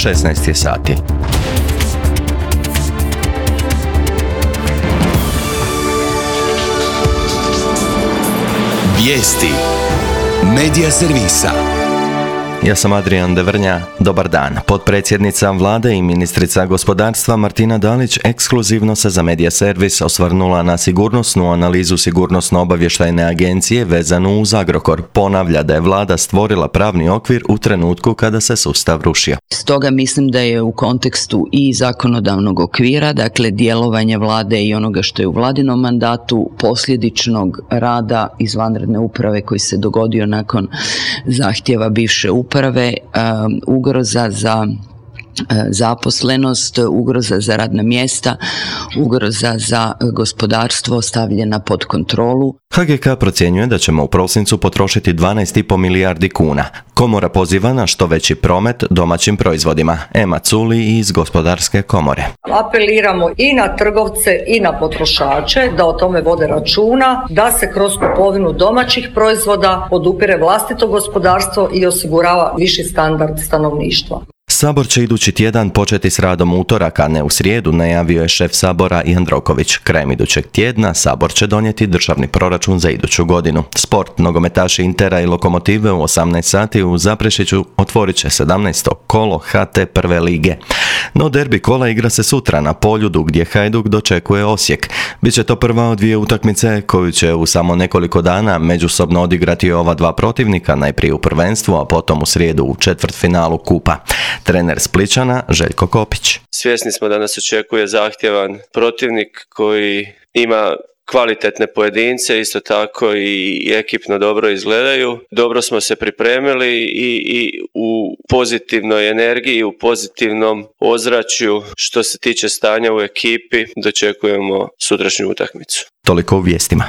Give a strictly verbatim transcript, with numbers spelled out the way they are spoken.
šesnaest je sati. Vijesti Medija servisa. Ja sam Adrian Devrnja, dobar dan. Potpredsjednica vlade i ministrica gospodarstva Martina Dalić ekskluzivno se za Medija servis osvrnula na sigurnosnu analizu sigurnosno-obavještajne agencije vezanu uz Agrokor. Ponavlja da je vlada stvorila pravni okvir u trenutku kada se sustav rušio. Stoga mislim da je u kontekstu i zakonodavnog okvira, dakle djelovanja vlade i onoga što je u vladinom mandatu, posljedičnog rada izvanredne uprave koji se dogodio nakon zahtjeva bivše uprave, uprave, ugroza za zaposlenost, ugroza za radna mjesta, ugroza za gospodarstvo stavljena pod kontrolu. H G K procjenjuje da ćemo u prosincu potrošiti dvanaest i pol milijardi kuna. Komora poziva na što veći promet domaćim proizvodima. Ema Culi iz Gospodarske komore. Apeliramo i na trgovce i na potrošače da o tome vode računa, da se kroz kupovinu domaćih proizvoda podupire vlastito gospodarstvo i osigurava viši standard stanovništva. Sabor će idući tjedan početi s radom utorak, a ne u srijedu, najavio je šef Sabora Jandroković. Krajem idućeg tjedna Sabor će donijeti državni proračun za iduću godinu. Sport, nogometaši Intera i Lokomotive u osamnaest sati u Zaprešiću otvorit će sedamnaesto kolo H T prve lige. No derbi kola igra se sutra na Poljudu gdje Hajduk dočekuje Osijek. Biće to prva od dvije utakmice koju će u samo nekoliko dana međusobno odigrati ova dva protivnika, najprije u prvenstvu, a potom u srijedu u četvrtfinalu kupa. Trener Splićana Željko Kopić. Svjesni smo da nas očekuje zahtjevan protivnik koji ima kvalitetne pojedince, isto tako i ekipno dobro izgledaju. Dobro smo se pripremili i, i u pozitivnoj energiji, u pozitivnom ozračju što se tiče stanja u ekipi dočekujemo sutrašnju utakmicu. Toliko u vijestima.